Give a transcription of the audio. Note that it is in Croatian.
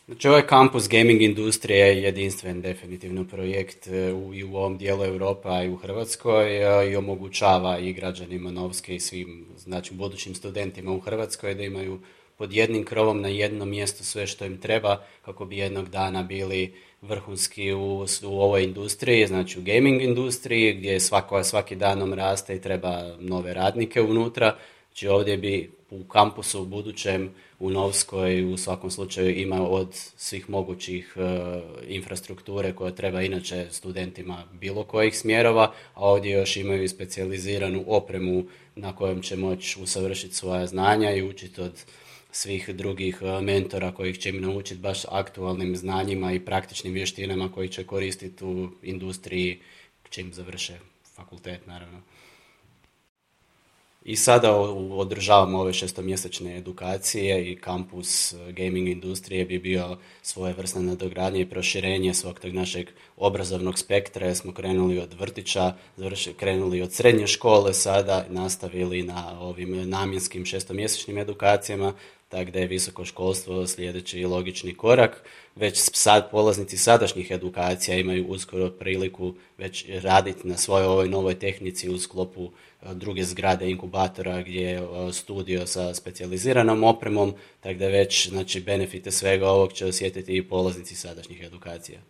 Znači, ovaj kampus gaming industrije je jedinstven definitivno projekt i u ovom dijelu Europe, a i u Hrvatskoj i omogućava i građanima Novske i svim, znači, budućim studentima u Hrvatskoj da imaju pod jednim krovom na jednom mjestu sve što im treba kako bi jednog dana bili vrhunski u ovoj industriji, znači u gaming industriji gdje svaki danom raste i treba nove radnike unutra. Znači ovdje bi u kampusu u budućem u Novskoj u svakom slučaju ima od svih mogućih infrastrukture koje treba inače studentima bilo kojih smjerova, a ovdje još imaju i specijaliziranu opremu na kojem će moći usavršiti svoja znanja i učiti od svih drugih mentora kojih će im naučiti baš aktualnim znanjima i praktičnim vještinama koji će koristiti u industriji čim završe fakultet, naravno. I sada održavamo ove šestomjesečne edukacije i kampus gaming industrije bi bio svojevrsna nadogradnja i proširenje svog tog našeg obrazovnog spektra jer smo krenuli od vrtića, krenuli od srednje škole, sada nastavili na ovim namjenskim šestomjesečnim edukacijama, tako da je visoko školstvo sljedeći logični korak. Već sad polaznici sadašnjih edukacija imaju uskoro priliku već raditi na svojoj ovoj novoj tehnici u sklopu druge zgrade inkubatora gdje je studio sa specijaliziranom opremom, tako da već znači, benefite svega ovog će osjetiti i polaznici sadašnjih edukacija.